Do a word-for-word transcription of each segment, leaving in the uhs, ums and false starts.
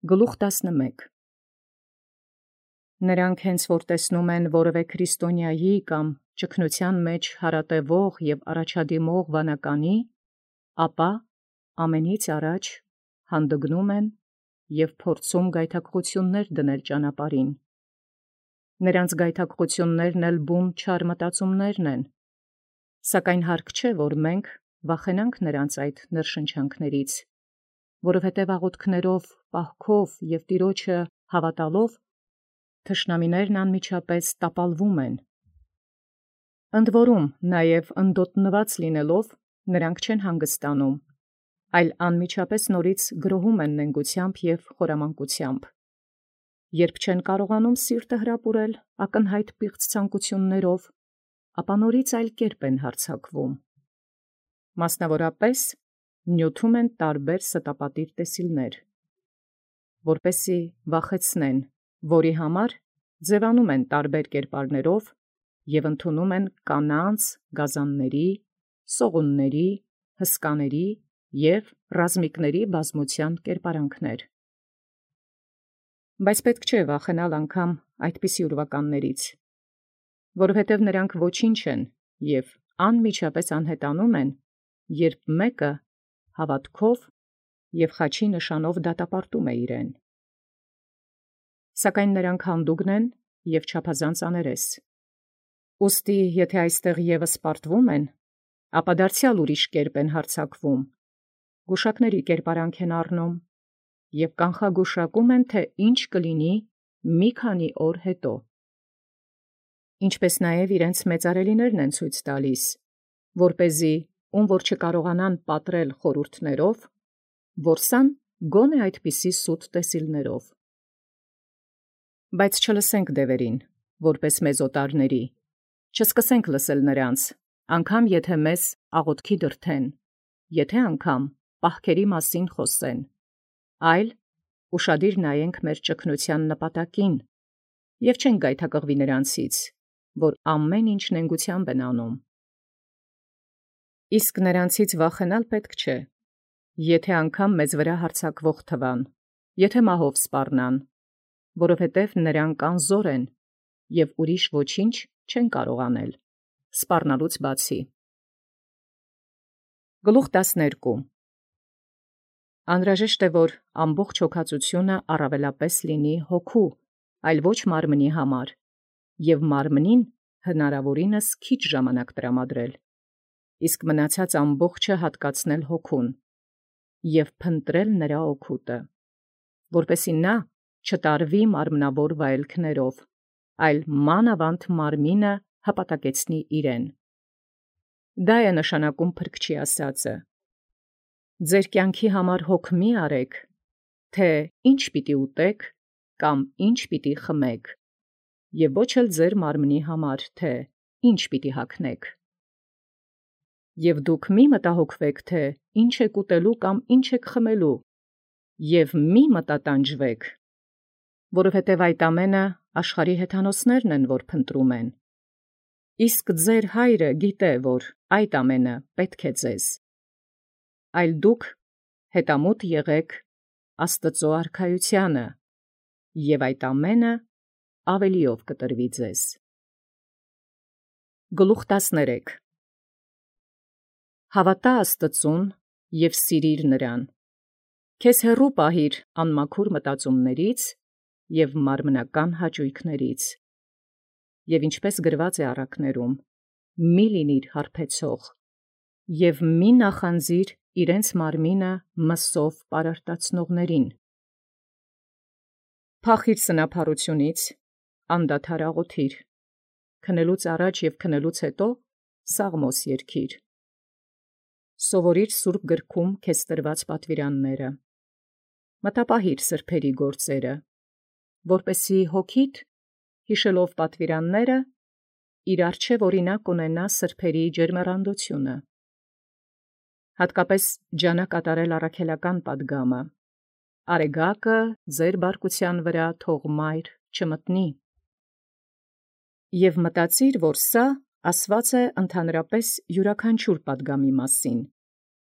Գլուխ տասնմեկ Նրանք հենց որ տեսնում են որևէ քրիստոնյայի կամ ճգնության մեջ հարատևող և առաջադիմող վանականի, ապա ամենից առաջ հանդգնում են և փորձում գայթակղություններ դնել ճանապարհին։ Նրանց գայթակղություններն էլ բուն չար մտածումներն են, սակայն հարկ չէ, որ մենք վախենանք նրանց այդ ներշնչանքներից, որովհետև աղոթքներով, պահքով և Տեառնէ հաւատալով թշնամիներն անմիջապես տապալվում են։ Ընդ որում նաև ընդոտնված լինելով նրանք չեն հանգստանում, այլ անմիջապես նորից գրոհում են նենգությամբ և խորամանկությամբ։ Երբ չեն կարողանում սիրտը հրապուրել ակնհայտ պիղծ ցանկություններով, ապա նորից այլ կերպ են հարձակվում։ Մասնավորապես նյութում են տարբեր ստապատիր տեսիլներ, որպեսզի վախեցնեն, որի համար ձևանում են տարբեր կերպարներով և ընդունում են կանանց, գազանների, սողունների, հսկաների և ռազմիկների բազմության կերպարանքներ։ Բայց պետք չէ վախենալ անգամ այդպիսի ուրվականներից, որովհետև նրանք ոչինչ են և անմիջապես անհետանում են, երբ մեկը հաւատովք և խաչի նշանով դատապարտում է իրեն։ Սակայն նրանք հանդուգն են և չափազանց աներես։ Ուստի եթէ այստեղ ևս պարտվում են, ապա դարձեալ ուրիշ կերպ են հարձակվում, գուշակների կերպարանք են առնում և կանխագուշակում են, թէ ինչ կլինի մի քանի օր հետո։ Ինչպէս նաև իրենց մեծարելիներն են ցույց տալիս, որպեսզի ում որ չկարողանան պատռել խորհուրդներով, որսան գոնե այդպիսի սուտ տեսիլներով։ Բայց չլսենք դևերին, որպես մեզ օտարների, չսկսենք լսել նրանց, անգամ եթէ մեզ աղոթքի դրդեն, եթէ անգամ պահքերի մասին խոսեն, այլ ուշադիր նայենք մեր ճգնութեան նպատակին և չենք գայթակղվի նրանցից, որ ամեն ինչ նենգութեամբ են անում։ Իսկ նրանցից վախենալ պետք չէ, եթէ անգամ մեզ վրա հարձակվող թվան, եթէ մահով սպառնան, որովհետև նրանք անզոր են և ուրիշ ոչինչ չեն կարող անել, սպառնալուց բացի։ Գլուխ տասներկու Անհրաժեշտ է, որ ամբողջ հոգածությունը առավելապես լինի հոգու, այլ ոչ մարմնի համար, և մարմնին հնարաւորինս քիչ ժամանակ տրամադրել, իսկ մնացած ամբողջը հատկացնել հոգուն և փնտրել նրա օգուտը, որպեսզի նա չտարվի մարմնավոր վայելքներով, այլ մանավանդ մարմինը հպատակեցնի իրեն։ Դա է նշանակում փրկչի ասածը. «Ձեր կյանքի համար հոգ մի արեք, թէ ի՛նչ պիտի ուտեք կամ ի՛նչ պիտի խմեք, և ոչ էլ ձեր մարմնի համար, թէ ի՛նչ պիտի հագնեք։ Եւ դուք մի՛ մտահոգվեք, թէ ի՛նչ եք ուտելու կամ ի՛նչ եք խմելու, և մի՛ մտատանջվեք, որովհետև այդ ամենը աշխարհի հեթանոսներն են, որ փնտրում են։ Իսկ ձեր Հայրը գիտե, որ այդ ամենը պետք է ձեզ։ Այլ դուք հետամուտ եղեք Աստուծոյ արքայութեանը, և այդ ամենը ավելիով կտրվի ձեզ»։ Գլուխ տասներեք Հաւատա Աստուծուն և սիրիր նրան. քեզ հեռու պահիր անմաքուր մտածումներից և մարմնական հաճոյքներից, և ինչպես գրված է առակներում, մի՛ լինիր հարբեցող, և մի՛ նախանձիր իրենց մարմինը մսով պարարտացնողներին։ Փախիր սնափառութիւնից, անդադար աղոթիր, քնելուց առաջ և քնելուց հետո սաղմոս երգիր։ Սովորիր սուրբ գրքում քեզ տրված պատվիրանները, մտապահիր սրբերի գործերը, որպեսզի հոգիդ, յիշելով պատվիրանները, իր առջև օրինակ ունենա սրբերի ջերմեռանդությունը։ Հատկապես ջանա կատարել առաքելական պատգամը, արեգակը ձեր բարկութեան վրա թող մայր չմտնի։ Եւ մտածիր, որ սա ասված է ընդհանրապես յուրաքանչյուր պատգամի մասին,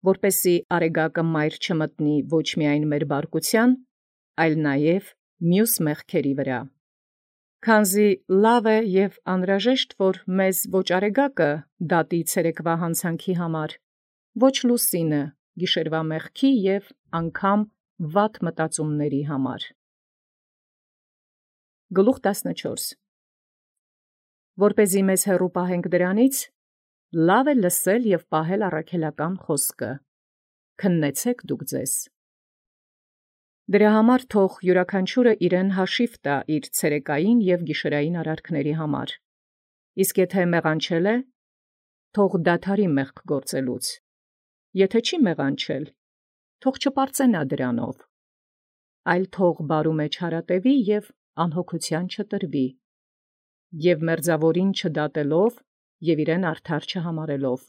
որպեսզի արեգակը մայր չմտնի ոչ միայն մեր բարկութեան, այլ նաև մյուս մեղքերի վրա։ Քանզի լավ է և անհրաժեշտ, որ մեզ ոչ արեգակը դատի ցերեկվա հանցանքի համար, ոչ լուսինը գիշերվա մեղքի և անգամ վատ մտածումների համար։ Գլուխ տասնչորս Որպեսզի մեզ հեռու պահենք դրանից, լավ է լսել և պահել առաքելական խոսքը. քննեցեք դուք ձեզ։ Դրա համար թող յուրաքանչյուրը իրեն հաշիվ տա իր ցերեկային և գիշերային արարքների համար, իսկ եթե մեղանչել է, թող դադարի մեղք գործելուց, եթե չի մեղանչել, թող չպարծենա դրանով, այլ թող բարու մեջ հարատևի և անհոգության չտրվի, և մերձավորին չդատելով և իրեն արդար չհամարելով,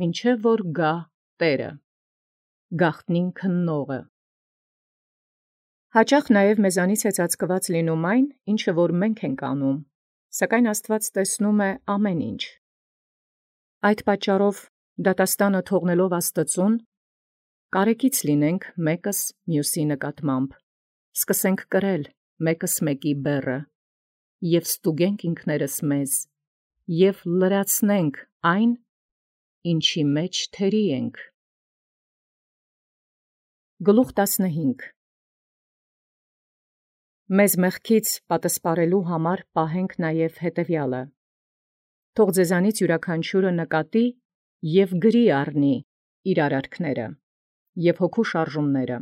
մինչև որ գա Տերը, գաղտնին քննողը։ Հաճախ նաև մեզանից է ծածկված լինում այն, ինչը որ մենք ենք անում, սակայն Աստված տեսնում է ամեն ինչ։ Այդ պատճառով դատաստանը թողնելով Աստծուն, կարեկից լինենք մեկս մյուսի նկատմամբ, սկսենք կրել մեկս մեկի բեռը, և ստուգենք ինքներս մեզ, և լրացնենք այն, ինչի մեջ թերի ենք։ Գլուխ տասնհինգ Մեզ մեղքից պատասպարելու համար պահենք նաև հետևյալը. թող ձեզանից յուրաքանչյուրը նկատի և գրի առնի իր արարքները և հոգու շարժումները,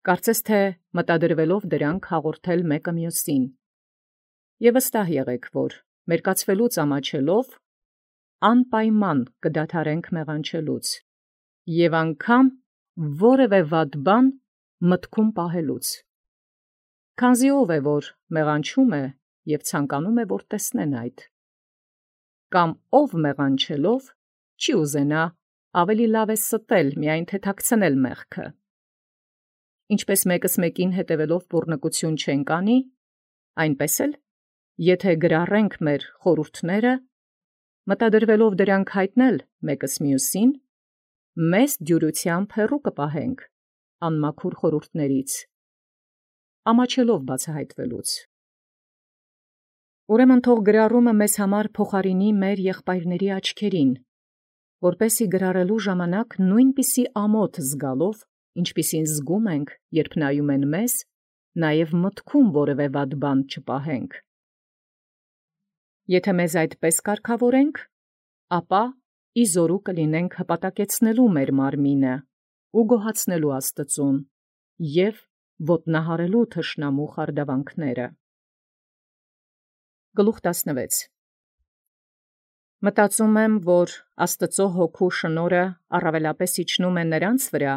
կարծես թե մտադրվելով դրանք հաղորդել մեկը մյուսին, և վստահ եղեք, որ մերկացվելուց ամաչելով անպայման կդադարենք մեղանչելուց և անգամ որևէ վատ բան մտքում պահելուց, քանզի ով է, որ մեղանչում է և ցանկանում է, որ տեսնեն այդ, կամ ով մեղանչելով չի ուզենա ավելի լավ է ստել, միայն թե թաքցնել մեղքը։ Ինչպես մեկս մեկին հետևելով բռնկություն չենք անի, այնպես էլ, եթե գրառենք մեր խորհուրդները, մտադրվելով դրանք հայտնել մեկս մյուսին, մեզ դյուրությամբ հեռու կպահենք անմաքուր խորհուրդներից, ամաչելով բացահայտվելուց։ Ուրեմն թող գրառումը մեզ համար փոխարինի մեր եղբայրների աչքերին, որպեսզի գրառելու ժամանակ նույնպիսի ամոթ զգալով, ինչպիսին զգում ենք, երբ նայում են մեզ, նաև մտքում որևէ վատ բան չպահենք։ Եթե մեզ այդպես կարգավորենք, ապա իզորու կլինենք հպատակեցնելու մեր մարմինը ու գոհացնելու Աստծուն և ոտնահարելու թշնամու խարդավանքները։ Գլուխ տասնվեց Մտածում եմ, որ Աստծո հոգու շնորհը առավելապես իջնում է նրանց վրա,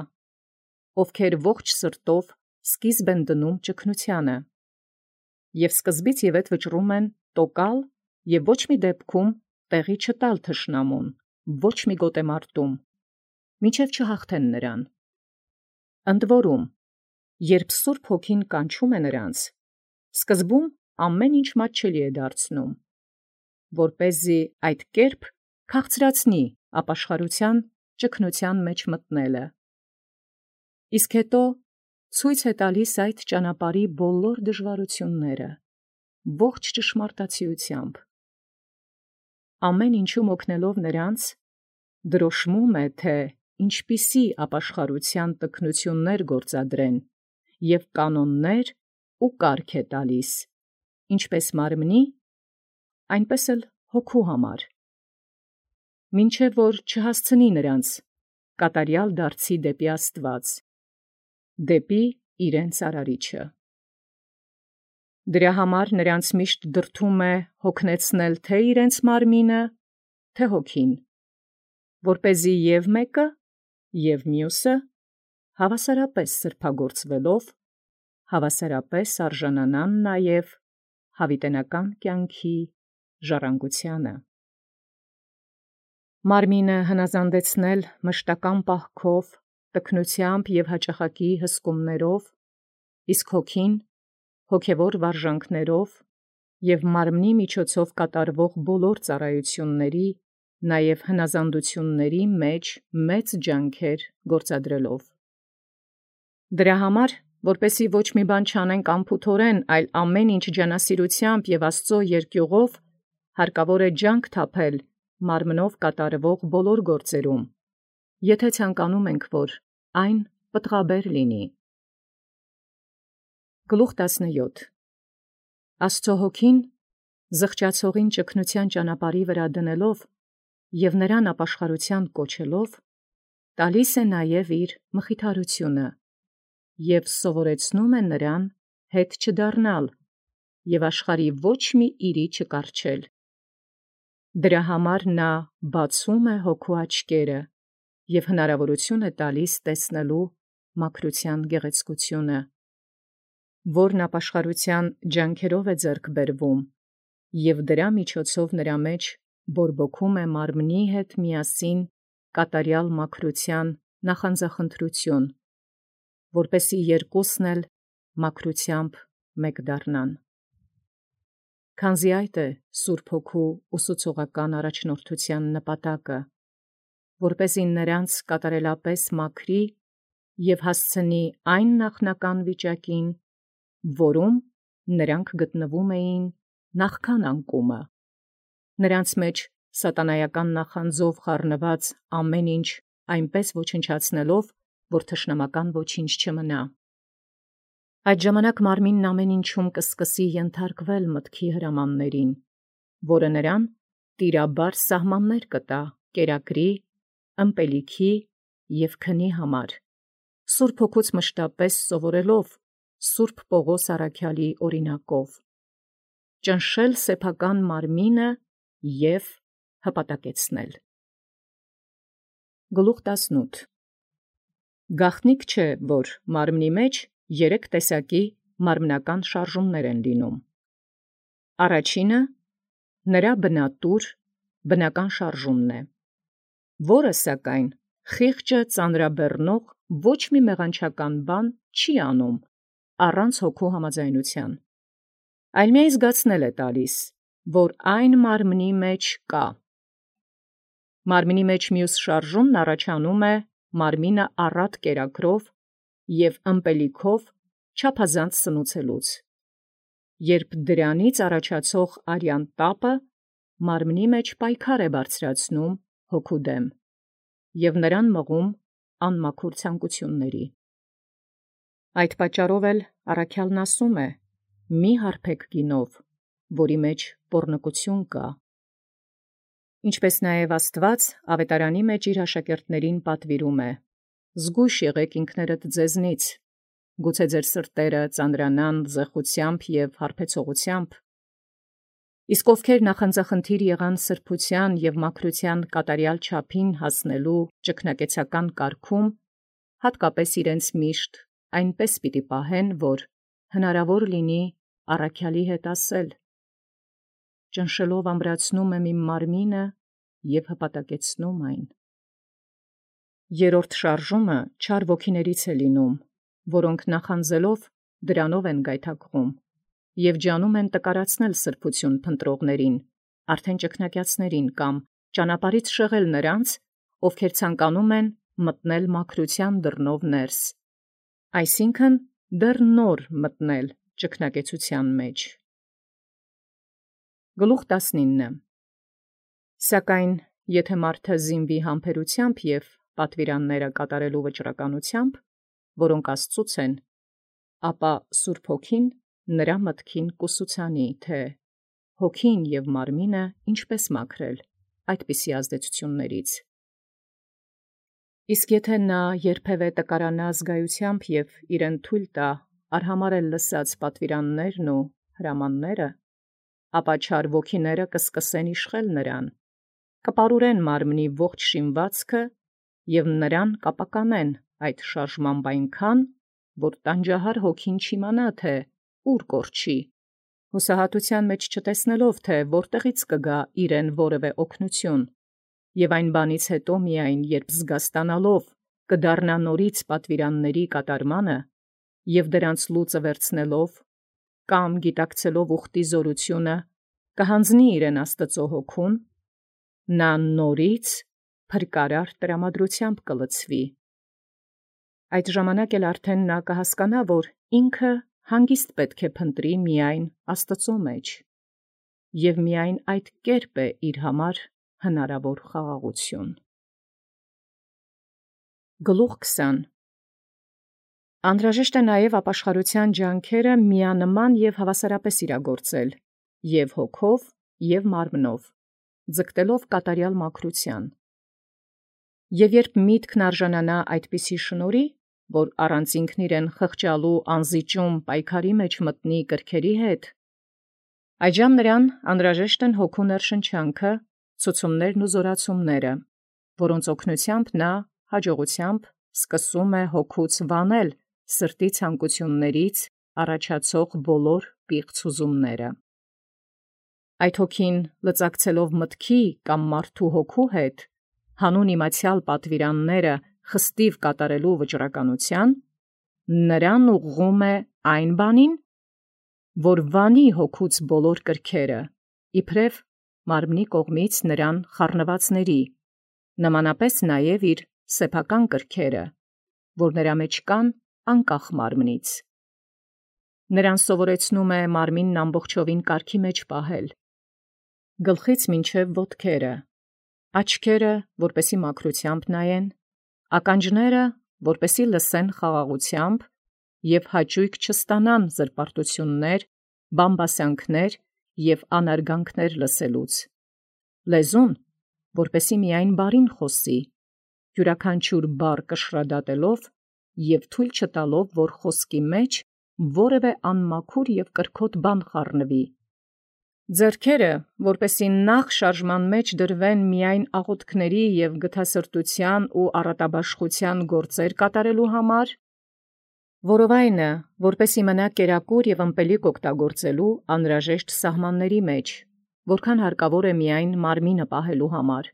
ովքեր ողջ սրտով սկիզբ են դնում ճգնությանը, և սկզբից և ետ վճռում են տոկալ և ոչ մի դեպքում տեղի չտալ թշնամուն, ոչ մի գոտեմարտում, մինչև չհաղթեն նրան։ Ընդ որում, երբ Սուրբ Հոգին կանչում է նրանց, սկզբում ամեն ինչ մատչելի է դարձնում, որպեսզի այդ կերպ քաղցրացնի ապաշխարության ճգնության մեջ մտնելը, իսկ հետո ցույց է տալիս այդ ճանապարհի բոլոր դժվարությունները, ողջ ճշմարտացիությամբ։ Ամեն ինչում օգնելով նրանց, դրոշմում է, թե ինչպիսի ապաշխարության տքնութիւններ գործադրեն և կանոններ ու կարգ է տալիս, ինչպես մարմնի, այնպես էլ հոգու համար, մինչև որ չհասցնի նրանց կատարյալ դարձի դեպի Աստված, դեպի իրենց արարիչը։ Դրա համար նրանց միշտ դրդում է հոգնեցնել թե իրենց մարմինը, թե հոգին, որպեսզի և մեկը, և մյուսը հավասարապես սրբագործվելով, հավասարապես արժանանան նաև յաւիտենական կյանքի ժառանգությանը։ Մարմինը հնազանդեցնել մշտական պահքով, տքնութեամբ և հաճախակի հսկումներով, իսկ հոգին հոգևոր վարժանքներով և մարմնի միջոցով կատարվող բոլոր ծառայությունների, նաև հնազանդությունների մեջ մեծ ջանքեր գործադրելով։ Դրա համար որպեսզի ոչ մի բան չանենք անփութորեն, այլ ամեն ինչ ջանասիրութեամբ եւ Աստուծոյ երկյուղով, հարկավոր է ջանք թափել մարմնով կատարվող բոլոր գործերում, եթե ցանկանում ենք, որ այն պտղաբեր լինի։ Գլուխ տասնյոթ Աստծո հոգին զղջացողին ճգնության ճանապարհի վրա դնելով եւ նրան ապաշխարութեան կոչելով, տալիս է նաև իր մխիթարությունը եւ սովորեցնում է նրան հետ չդառնալ եւ աշխարհի ոչ մի իրի չկառչել։ Դրա համար նա բացում է հոգու աչքերը եւ հնարավորություն է տալիս տեսնելու մաքրության գեղեցկությունը, որն ապաշխարության ջանքերով է ձեռք բերվում, եւ դրա միջոցով նրա մեջ բորբոքում է մարմնի հետ միասին կատարյալ մաքրության նախանձախնդրություն, որպեսզի երկուսն էլ մաքրությամբ մեկ դառնան։ Քանզի այդ է Սուրբ Հոգու ուսուցողական առաջնորդության նպատակը, որպեսզի նրանց կատարելապես մաքրի եւ հասցնի այն նախնական վիճակին, որում նրանք գտնվում էին նախքան անկումը, նրանց մեջ սատանայական նախանձով խառնված ամեն ինչ այնպես ոչնչացնելով, որ թշնամական ոչինչ չմնա։ Այդ ժամանակ մարմինն ամեն ինչում կսկսի ենթարկվել մտքի հրամաններին, որը նրան տիրաբար սահմաններ կտա կերակրի, ըմպելիքի և քնի համար, Սուրբ Հոգուց մշտապես սովորելով Սուրբ Պողոս առաքյալի օրինակով, ճնշել սեփական մարմինը և հպատակեցնել։ Գլուխ տասնութ Գաղտնիք չէ, որ մարմնի մեջ երեք տեսակի մարմնական շարժումներ են լինում։ Առաջինը նրա բնատուր բնական շարժումն է, որը սակայն խիղճը ծանրաբեռնող ոչ մի մեղանչական բան չի անում առանց հոգու համաձայնության, այլ միայն զգացնել է տալիս, որ այն մարմնի մեջ կա։ Մարմնի մեջ մյուս շարժումն առաջանում է մարմինը առատ կերակրով և ըմպելիքով չափազանց սնուցելուց, երբ դրանից առաջացող արյան տապը մարմնի մեջ պայքար է բարձրացնում հոգու դեմ և նրան մղում անմաքուր ցանկությունների։ Այդ պատճառով էլ առաքյալն ասում է. «Մի հարբեք գինով, որի մեջ պոռնկություն կա»։ Ինչպես նաև Աստուած աւետարանի մեջ իր աշակերտացն պատուիրում է. «Զգոյշ եղէք ինքներդ ձեզնից, գուցե ձեր սրտերը ծանրանան զեղութեամբ և հարբեցողութեամբ, իսկ ովքեր նախանձախնդիր եղան սրբութեան և մաքրութեան կատարյալ չափին հասնելու ճգնակեցական կարգում, հատկապես իրենց միշտ այնպես պիտի պահեն, որ հնարավոր լինի առաքյալի հետ ասել. ճնշելով ամրացնում եմ իմ մարմինը և հպատակեցնում այն»։ Երրորդ շարժումը չար ոգիներից է լինում, որոնք նախանձելով դրանով են գայթակղում և ջանում են տկարացնել սրբություն փնտրողներին, արդեն ճգնակյացներին կամ ճանապարհից շեղել նրանց, ովքեր ցանկանում են մտնել մաքրության դռնով ներս, այսինքն դեռ նոր մտնել ճգնակեցության մեջ։ Գլուխ տասնինը Սակայն եթե մարդը զինվի համբերութեամբ և պատվիրանները կատարելու վճռականությամբ, որոնք Աստծուց են, ապա Սուրբ Հոգին նրա մտքին կուսուցանի, թե հոգին և մարմինը ինչպես մաքրել այդպիսի ազդեցություններից։ Իսկ եթե նա երբևէ տկարանա զգայութեամբ և իրեն թույլ տա արհամարհել լսած պատվիրաններն ու հրամանները, ապա չար ոգիները կսկսեն իշխել նրան, կպարուրեն մարմնի ողջ շինվածքը և նրան կապականեն այդ շարժմամբ այնքան, որ տանջահար հոգին չիմանա, թե ուր կորչի, հուսահատութեան մեջ չտեսնելով, թե որտեղից կգա իրեն որևէ օգնություն, և այն բանից հետո միայն, երբ զգաստանալով կդառնա նորից պատվիրանների կատարմանը և դրանց լուծը վերցնելով, կամ գիտակցելով ուխտի զորությունը, կհանձնի իրեն Աստծո հոգուն, նա նորից փրկարար տրամադրությամբ կլցվի։ Այդ ժամանակ էլ արդեն նա կհասկանա, որ ինքը հանգիստ պետք է փնտրի միայն Աստծո մեջ, և միայն այդ կերպ է իր համար հնարավոր խաղաղություն։ Գլուխ քսան Անհրաժեշտ է նաև ապաշխարության ջանքերը միանման և հավասարապես իրագործել, և հոգով, և մարմնով, ձգտելով կատարյալ մաքրության։ Եվ երբ միտքն արժանանա այդպիսի շնորհի, որ առանց ինքն իրեն խղճալու անզիջում պայքարի մեջ մտնի կրքերի հետ, այժմ նրան անհրաժեշտ են հոգու ներշնչանքը, ցուցումներն ու զորացումները, որոնց օգնությամբ նա հաջողությամբ սկսում է հոգուց վանել սրտի ցանկություններից առաջացող բոլոր պիղծ ուզումները։ Այդ հոգին լծակցելով մտքի կամ մարդու հոգու հետ, հանուն իմացեալ պատվիրանները խստիվ կատարելու վճռականության, նրան ուղղում է այն բանին, որ վանի հոգուց բոլոր կրքերը, իբրև մարմնի կողմից նրան խառնվածների, նմանապես նաև իր սեփական կրքերը, որ նրա մեջ կան անկախ մարմնից։ Նրան սովորեցնում է մարմինն ամբողջովին կարգի մեջ պահել, գլխից մինչև ոտքերը, աչքերը, որպեսզի մաքրությամբ նայեն, ականջները, որպեսզի լսեն խաղաղությամբ և հաճույք չստանան զրպարտություններ, բամբասանքներ և անարգանքներ լսելուց, լեզուն, որպեսզի միայն բարին խոսի, յուրաքանչյուր բառ կշռադատելով և թույլ չտալով, որ խոսքի մեջ որևէ անմաքուր և կրքոտ բան խառնվի, ձեռքերը, որպեսզի նախ շարժման մեջ դրվեն միայն աղոթքների և գթասրտության ու առատաբաշխության գործեր կատարելու համար, որովայնը, որպեսզի մնա կերակուր և ըմպելիք օգտագործելու անհրաժեշտ սահմանների մեջ, որքան հարկավոր է միայն մարմինը պահելու համար,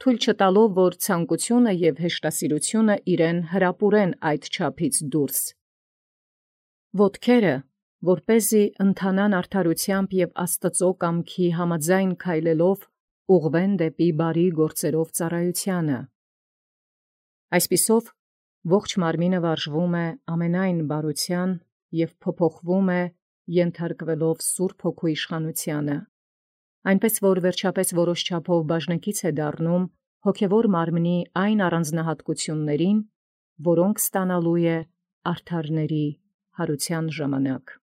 թույլ չտալով, որ ցանկությունը և հեշտասիրությունը իրեն հրապուրեն այդ չափից դուրս, ոտքերը, որպեսզի ընթանան արդարութեամբ և Աստծո կամքի համաձայն քայլելով ուղղվեն դեպի բարի գործերով ծառայությանը։ Այսպիսով ողջ մարմինը վարժվում է ամենայն բարության և փոփոխվում է ենթարկվելով Սուրբ Հոգու իշխանությանը, այնպես որ վերջապես որոշ չափով բաժնեկից է դառնում հոգևոր մարմնի այն առանձնահատկություններին, որոնք ստանալու է արդարների հարության ժամանակ։